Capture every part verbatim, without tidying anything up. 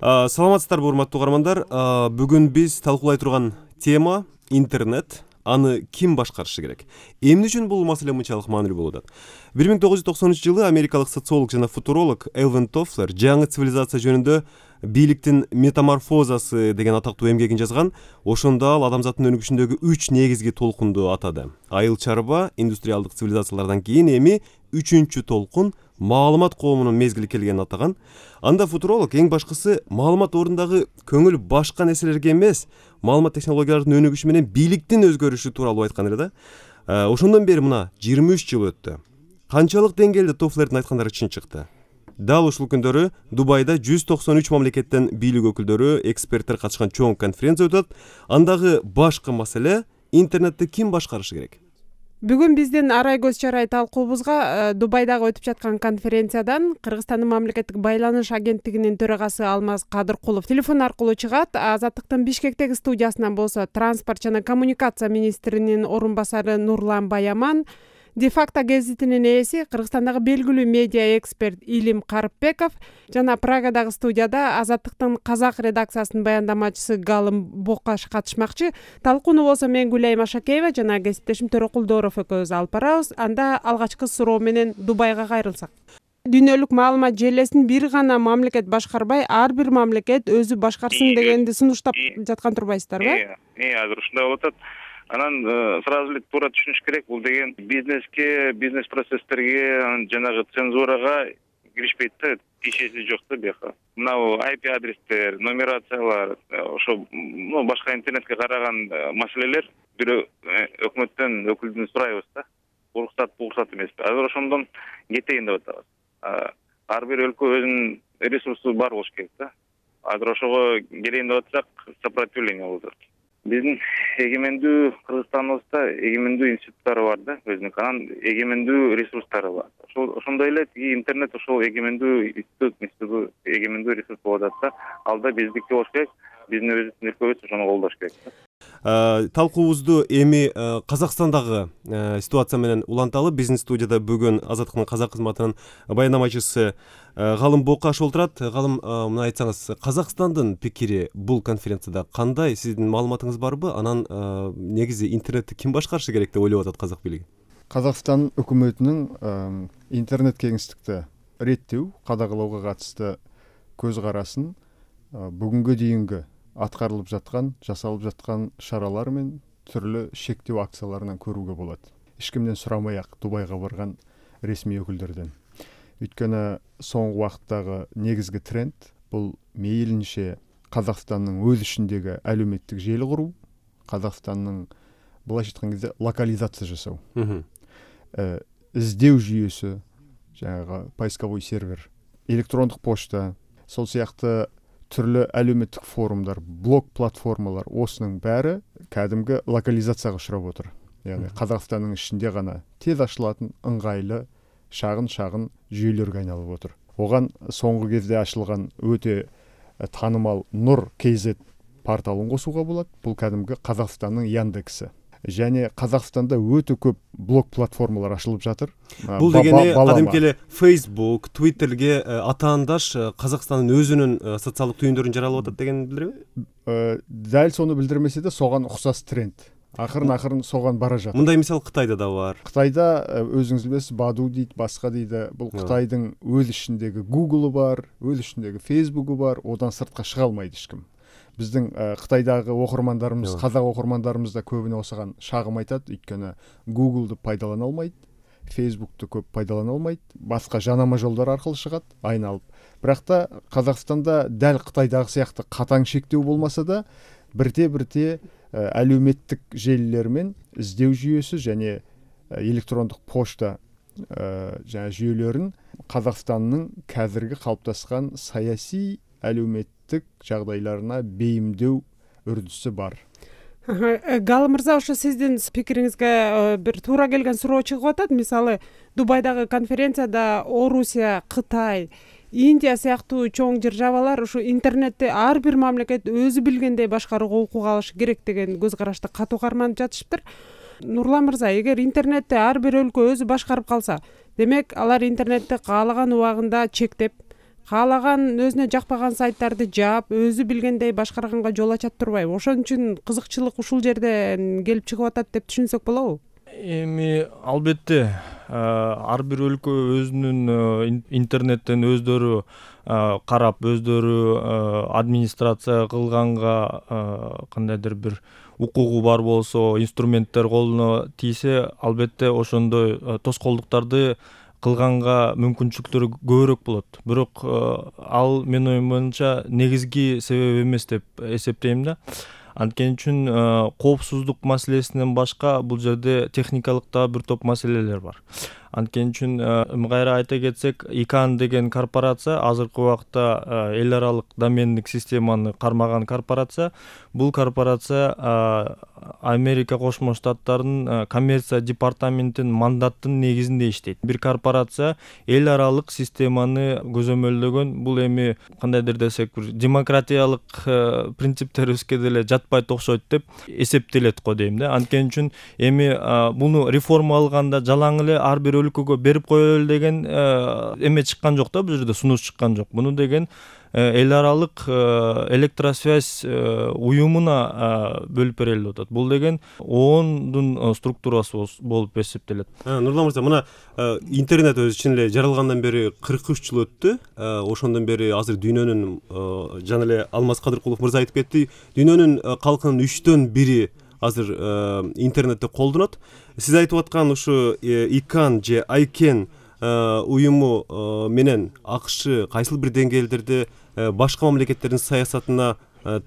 Саламатсыздарбы, урматтуу угармандар. Бүгүн биз талкуулай турган тема интернет. Аны ким башкарышы керек? Эмне үчүн бул маселе мынчалык маанилүү болуп атат? бир миң тогуз жүз токсонунчу жылы америкалык социолог жана футуролог Элвин Тофлер жаңы цивилизация жөнүндө бийликтин метаморфозасы деген атактуу эмгегин жазган. Ошондо ал адамзаттын өнүгүшүндөгү үч негизги толкунду атады. Айыл чарба, индустриалдык цивилизациялардан кийин эми үчүнчү толкун маалымат коомунун мезгили келгенин атаган. Анда футуролог эң башкысы маалымат ордундагы көңүл башка нерселерге эмес, маалымат технологияларынын өнүгүшү менен бийликтин өзгөрүшү тууралуу айткан эле да. Ошондон бери мына жыйырма үч жыл өттү. Канчалык деңгээлде Тофлердин айткандары чын чыкты? Дал ушул күндөрү Дубайда жүз токсон үч мамлекеттен бийлик өкүлдөрү, эксперттер катышкан чоң конференция өтөт. Андагы башкы маселе интернетти ким башкарышы керек? Бүгүн биздин арай көз чарай талкуубузга Дубайдагы өтүп жаткан конференциядан Кыргызстандын мамлекеттик байланыш агенттигинин төрагасы Алмаз Кадыркулов телефон аркылуу чыгат. Азаттыктын Бишкектеги студиясынан болсо транспорт жана коммуникация министринин орун басары Нурлан Баяман, Дефакто гезитинин ээси, Кыргызстандагы белгилүү медиа эксперт Илим Карыпбеков жана Прагадагы студияда Азаттыктын казак редакциясынын баяндамачысы Галым Бокаш катышмакчы. Талкууну болсо мен Гүлайым Ашакеева жана кесиптешим Төрөкулдоров экөөбүз алып барабыз. Анда алгачкы суроо менен Дубайга кайрылсак. Дүйнөлүк маалымат желесин бир гана мамлекет башкарбай, ар бир мамлекет өзү башкарсын дегенди сунуштап жаткан турбайсыздарбы? Э, азыр ушундай болуп атат. Анан сразу эле туура түшүнүш керек, бул деген бизнеске, бизнес процесстерге, жанагы цензурага киришпейт да, тиешеси жок да бияка. Мына ай пи адрестер, нумерациялар, ошо башка интернетке караган маселелер бирөө өкмөттөн өкүлдүн сурайбыз да. Уруксат, уруксат эмеспи. Азыр ошондон кетейин деп атабыз. Ар бир өлкө өзүнүн ресурсу бар болуш керек да. Азыр ошого келейин деп атсак, сопротивление болуп атат. Биздин эгемендүү Кыргызстаныбызда эгемендүү институттары бар да, өзүнүн анан эгемендүү ресурстары бар. Ошондой эле тиги интернет ошол эгемендүү институт, институт эгемендүү ресурс болуп атат да. Алда биздики болуш керек, биздин өзүбүздүн өлкөбүз ошону колдош керек да. Талкуубузду эми Казакстандагы ситуация менен уланталы. Биздин студияда бүгүн Азаттыктын казак кызматынын баяндамачысы Галым Бокаш отурат. Галым, мына айтсаңыз, Казакстандын пикири бул конференцияда кандай? Сиздин маалыматыңыз барбы? Анан негизи интернетти ким башкарышы керек деп ойлоп атат казак бийлиги? Казакстан өкмөтүнүн интернет кеңиштикти реттөө, кадағалауга катысты көз карасын бүгүнгө дейинги аткарылып жаткан, жасалып жаткан шаралар менен түрлүү шектөө акцияларынан көрүүгө болот. Эч кимден сурамай-ак Дубайга барган ресми өкүлдөрдөн. Өйткөнү соңку убакыттагы негизги тренд бул мейлинче Казакстандын өз ичиндеги әлеуметтик жели куруу, Казакстандын былайча айткан кезде локализация жасоо. Издөө жүйөсү, жанагы поисковой сервер, электрондук почта, сол сыяктуу түрлүү әлеуметтик форумдар, блог платформалар, осунун баары кәдимги локализацияга учурап отур. Яғни Казакстандын ичинде гана тез ачылатын ыңгайлы шагын-шагын жүйөлөргө айналып отур. Оган соңку кезде ачылган өтө таанымал Нур кей зет порталын косууга болот. Бул кәдимги Казакстандын Яндекси. Және Казакстанда өтө көп блог платформалар ачылып жатыр. Бул дегени кадимки эле Facebook, Twitterге атаандаш Казакстандын өзүнүн социалдык түйүндөрүн жаралып атат деген билдирби? Дал сону билдирмесе да, соган окшош тренд. Акырын-акырын соган бара жатат. Мындай мисал Кытайда да бар. Кытайда өзүңүз билесиз, Баду дейт, башка дейди. Бул Кытайдын өз ичиндеги Google'у бар, өз ичиндеги Facebook'у бар, одан сыртка чыга алмайт эч ким. Биздин Кытайдагы окурмандарыбыз, казак окурмандарыбыз да көбүнө осыган шагым айтат. Өйткөнү Google'ду пайдалана албайт, Facebook'ду көп пайдалана албайт, башка жанама жолдор аркылуу чыгат, айналып. Бирок да Казакстанда дал Кытайдагы сыяктуу катаң шектөө болмаса да, бирте-бирте әлеуметтик желилер менен издөө жүйөсү және электрондук почта жана жүйөлөрүн Казакстандын қазіргі калыпташкан саясий әлеуметтик жагдайларына бейимдөө үрдүсү бар. Галым мырза, ошо сиздин пикириңизге бир туура келген суроо чыгып атат. Мисалы, Дубайдагы конференцияда Орусия, Кытай, Индия сыяктуу чоң державалар ушу интернетти ар бир мамлекет өзү билгендей башкарууга укук алышы керек деген көз карашты катуу карманып жатышыптыр. Нурлан мырза, эгер интернетти ар бир өлкө өзү башкарып калса, демек алар интернетти каалаган убагында чектеп, каалаган өзүнө жакпаган сайттарды жаап, өзү билгендей башкарганга жол ачат турбайбы? Ошон үчүн кызыкчылык ушул жерден келип чыгып атат деп түшүнсөк болобу? Эми албетте ар бир өлкө өзүнүн интернеттен өздөрү карап, өздөрү администрация кылганга кандайдыр бир укугу бар болсо, инструменттер колуна тийсе, албетте ошондой тоскоолдуктарды кылганга мүмкүнчүлүктөрү көбүрөөк болот. Бирок ал менин оюм боюнча негизги себеп эмес деп эсептейм да. Анткени үчүн коопсуздук маселесинен башка бул жерде техникалык да бир топ маселелер бар. Анткени үчүн кайра айта кетсек, икан деген корпорация азыркы убакта эл аралык домендик системаны кармаган корпорация. Бул корпорация Америка Кошмо Штаттарынын коммерция департаментинин мандаттын негизинде иштейт. Бир корпорация эл аралык системаны көзөмөлдөгөн, бул эми кандайдыр десек, бир демократиялык принциптерибизге деле жатпайт окшойт деп эсептелет го дейм да. Анткени үчүн эми буну реформалаганда жалаң эле ар бир өлкөгө берип коелу деген эме чыккан жок да, бул жерде сунуш чыккан жок. Буну деген эл аралык электросвязь уюмуна бөлүп берели деп атат. Бул деген оондун структурасы болуп эсептелет. Нурлан мырза, мына интернет өзү чын эле жаралгандан бери кырк үч жыл өттү. Ошондон бери азыр дүйнөнүн, жана эле Алмаз Кадыркулов мырза айтып кетти, дүйнөнүн калкынын үчтөн бири азыр интернетте колдонот. Сиз айтып аткан ушу икан же айкен уюму менен АКШ кайсыл бир деңгээлдерде башка мамлекеттердин саясатына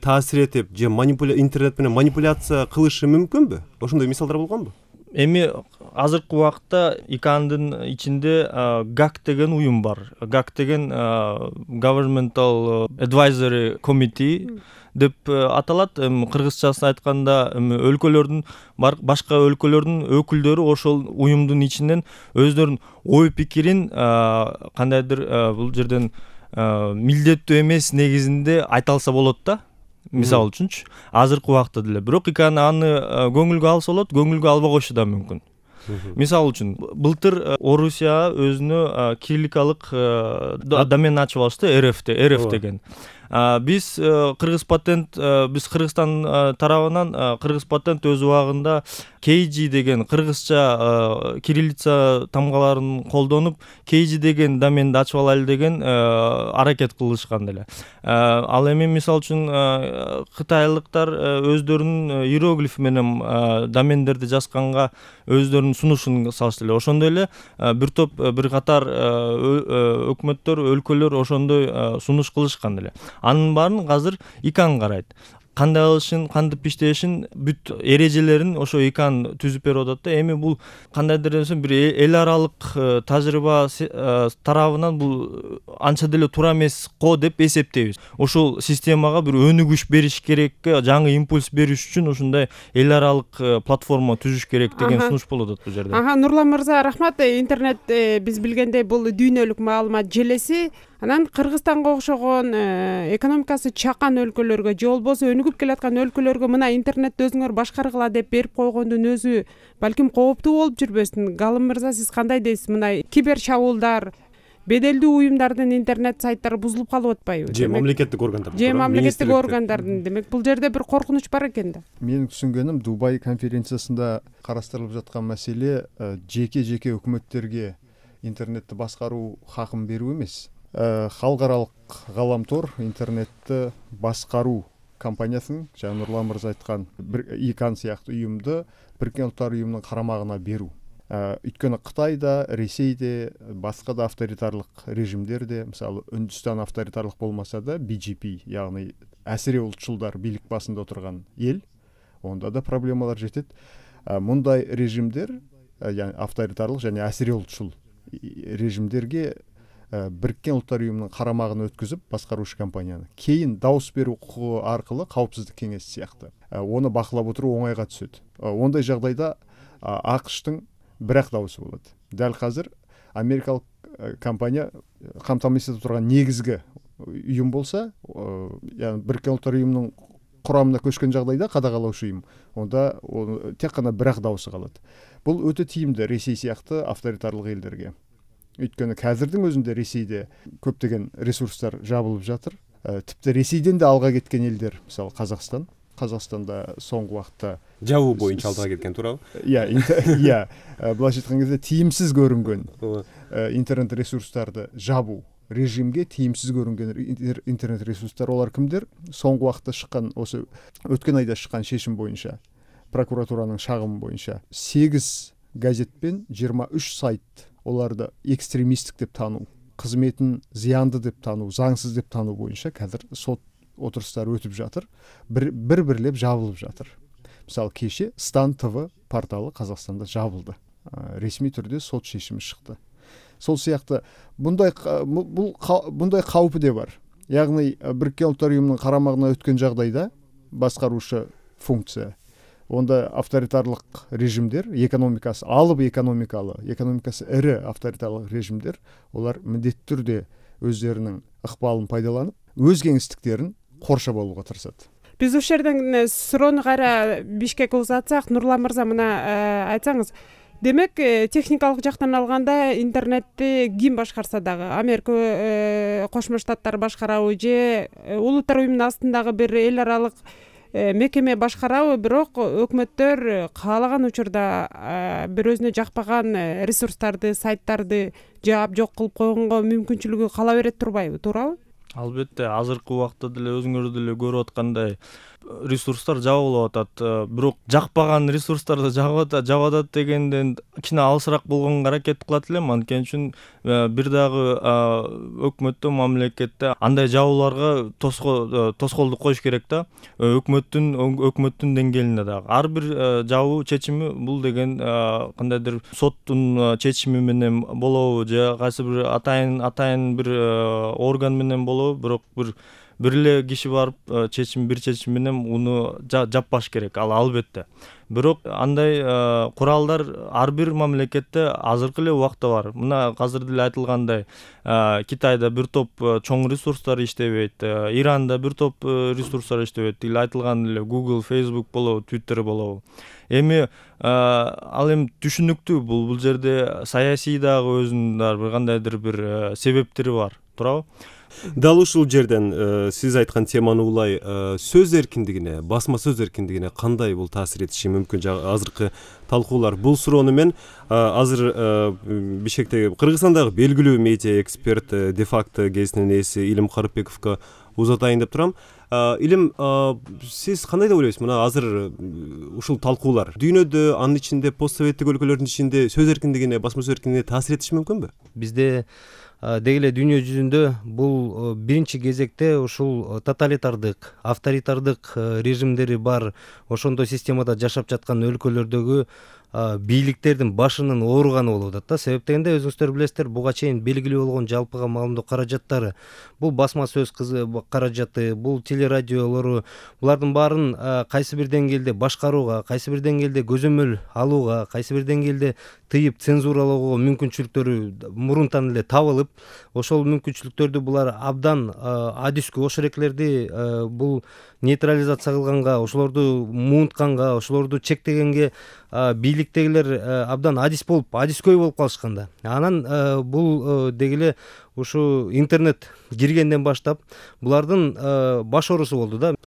таасир этип же интернет менен манипуляция кылышы мүмкүнбү? Ошондой мисалдар болгонбу? Эми азыркы убакта икандын ичинде гак деген уюм бар. гак деген Governmental Advisory Committee деп аталат. Кыргызчасын айтканда, өлкөлөрдүн башка өлкөлөрдүн өкүлдөрү ошол уюмдун ичинен өздөрүнүн ой пикирин кандайдыр бул жерден милдеттүү эмес негизинде айта алса болот да. Мисалы үчүнчү, азыркы убакта деле. Бирок иканы аны көңүлгө алса болот, көңүлгө албай койушу да мүмкүн. Мисалы үчүн, былтыр Орусия өзүнө кирилликалык домен ачып алышты, РФ деген. Биз Кыргыз патент, биз Кыргызстан тарабынан Кыргыз патент өз убагында кей джи деген кыргызча кириллица тамгаларын колдонуп, кей джи деген доменди ачып алайлы деген аракет кылышкан деле. Ал эми мисалы үчүн кытайлыктар өздөрүнүн иероглиф менен домендерди жазганга өздөрүнүн сунушун салышты эле. Ошондой эле бир топ бир катар өкмөттөр, өлкөлөр ошондой сунуш кылышкан эле. Анын баарын азыр икан карайт. Кандай кылышын, кантип иштешин, бүт эрежелерин ошо икан түзүп берип атат да. Эми бул кандайдыр десем бир эл аралык тажрыйба тарабынан бул анча деле туура эмес го деп эсептейбиз. Ошол системага бир өнүгүш бериш керек, жаңы импульс бериш үчүн ушундай эл аралык платформа түзүш керек деген сунуш болуп атат бул жерде. Ага, Нурлан мырза, рахмат. Интернет биз билгендей бул дүйнөлүк маалымат желеси. Анан Кыргызстанга окшогон экономикасы чакан өлкөлөргө же болбосо өнүгүп келаткан өлкөлөргө мына интернетти өзүңөр башкаргыла деп берип койгондун өзү балким кооптуу болуп жүрбөсүн. Галым мырза, сиз кандай дейсиз? Мына кибер чабуулдар, беделдүү уюмдардын интернет сайттары бузулуп калып атпайбы? Же мамлекеттик органдар. Же мамлекеттик органдардын. Демек бул жерде бир коркунуч бар экен да. Менин түшүнгөнүм, Дубай конференциясында карастырылып жаткан маселе жеке-жеке өкмөттерге интернетти башкаруу хакын берүү эмес. Халыкаралык галамтор интернетти башкаруу компаниясын, жана Нурлан мырза айткан икан сыяктуу уюмду Бириккен Улуттар уюмунун карамагына берүү. Өйткөнү Кытайда, Ресейде, башка да авторитарлык режимдерде, мисалы Үндүстан авторитарлык болмаса да би джи пи, яғни әсире улутчулдар бийлик басында отурган эл, онда да проблемалар жетет. Мындай режимдер, яғни авторитарлык және әсире улутчул режимдерге Бириккен Улуттар уюмунун карамагына өткүзүп башкаруучу компанияны кийин дауыс берүү укугу аркылуу Каупсуздук кеңеши сыяктуу оны бакылап отуруу оңойго түшөт. Ондай жагдайда АКШтын бирок дауысы болот. Дал азыр америкалык компания камтамасыз этип турган негизги уюм болса, яғни Бириккен Улуттар уюмунун курамына көчкөн жагдайда кадагалоочу уюм, онда тек гана бирок дауысы калат. Бул өтө тийимдүү Ресей сыяктуу авторитарлык элдерге. өйткөнү казырдын өзүндө Ресейде көптөгөн ресурстар жабылып жатыр. Типти Ресейден да алга кеткен элдер, мисалы Казакстан. Казакстанда соңку убакытта жабуу боюнча алдыга кеткен, туурабы? Иә, иә, былайча айткан кезде тийимсиз көрүнгөн интернет ресурстарды жабуу режимге тийимсиз көрүнгөн интернет ресурстар олар кимдер? Соңку убакытта чыккан, осы өткөн айда чыккан шешим боюнча, прокуратуранын шагымы боюнча сегиз газет пен жыйырма үч сайт оларды экстремисттик деп таануу, кызметін зыянды деп таануу, заңсыз деп таануу боюнча қазір сот отырыстары өтүп жатыр. Бір бір бірлеп жабылып жатыр. Мисалы кеше Стан ТВ порталы Қазақстанда жабылды. Ресми түрде сот шешими шықты. Сол сияқты бұндай бұл бұндай қаупі де бар. Яғни Біріккен Ұлттар Ұйымының қарамағына өткен жағдайда басқарушы функция, онда авторитарлық режимдер, экономикасы алып экономикалы, экономикасы ірі авторитарлық режимдер, олар міндетті түрде өздерінің ықпалын пайдаланып, өз кеңістіктерін қоршап алуға тырысады. Биз ушул жерден суроону кайра Бишкекке узатсак, Нурлан мырза, мына айтсаңыз, демек техникалык жактан алганда интернетти ким башкарса дагы, Америка Кошмо Штаттар башкарабы же Улуттар Уюмунун астындагы бир эл аралык мекеме башкарабы, бирок өкмөттөр каалаган учурда бир өзүнө жакпаган ресурстарды, сайттарды жаап жок кылып койгонго мүмкүнчүлүгү кала берет турбайбы, туурабы? Албетте, азыркы убакта деле өзүңөр деле көрүп аткандай ресурстар жабылып атат, бирок жакпаган ресурстарды жабып атат дегенден кичине алысыраак болгонго аракет кылат элем. Анткени үчүн бир дагы өкмөттө, мамлекетте андай жабууларга тоскоолдук коюш керек да. Өкмөттүн өкмөттүн деңгээлинде дагы ар бир жабуу чечими бул деген кандайдыр соттун чечими менен болобу же кайсы бир атайын атайын бир орган менен болобу, бирок бир бир эле киши барып чечим бир чечим менен уну жаппаш керек. Ал албетте. Бирок андай куралдар ар бир мамлекетте азыркы эле убакта бар. Мына азыр деле айтылгандай, Китайда бир топ чоң ресурстар иштебейт, Иранда бир топ ресурстар иштебейт. Эле айтылган эле Google, Facebook болобу, Twitter болобу. Эми ал эми түшүнүктүү, бул бул жерде саясий дагы өзүнүн бир кандайдыр бир себептери бар, туурабы? Дал ушул жерден сиз айткан теманы улай сөз эркиндигине, басма сөз эркиндигине кандай бул таасир этиши мүмкүн? Азыркы талкуулар бул суроону мен азыр Бишкектеги Кыргызстандагы белгилүү медиа эксперт, де-факто гезитинин ээси Илим Карыпбековго узатайын деп турам. Илим, сиз кандай деп ойлойсуз? Мына азыр ушул талкуулар дүйнөдө, анын ичинде постсоветтик өлкөлөрдүн ичинде сөз эркиндигине, басма сөз эркиндигине таасир этиши мүмкүнбү? Бизде деги эле дүйнө жүзүндө бул биринчи кезекте ушул тоталитардык, авторитардык режимдери бар, ошондой системада жашап жаткан өлкөлөрдөгү бийликтердин башынын ооруганы болуп атат да. Себеп дегенде өзүңүздөр билесиздер, буга чейин белгилүү болгон жалпыга маалымдоо каражаттары, бул басма сөз каражаты, бул телерадиолору, булардын баарын кайсы бир деңгээлде башкарууга, кайсы бир деңгээлде көзөмөл алууга, кайсы бир деңгээлде тыйып цензуралоого мүмкүнчүлүктөрү мурунтан эле табылып, ошол мүмкүнчүлүктөрдү булар абдан адискө ошол эклерди бул нейтрализация кылганга, ошолорду муунтканга, ошолорду чектегенге бийликтегилер абдан адис болуп, адискөй болуп калышканда. Анан бул дегиле ушу интернет киргенден баштап булардын баш оорусу болду да.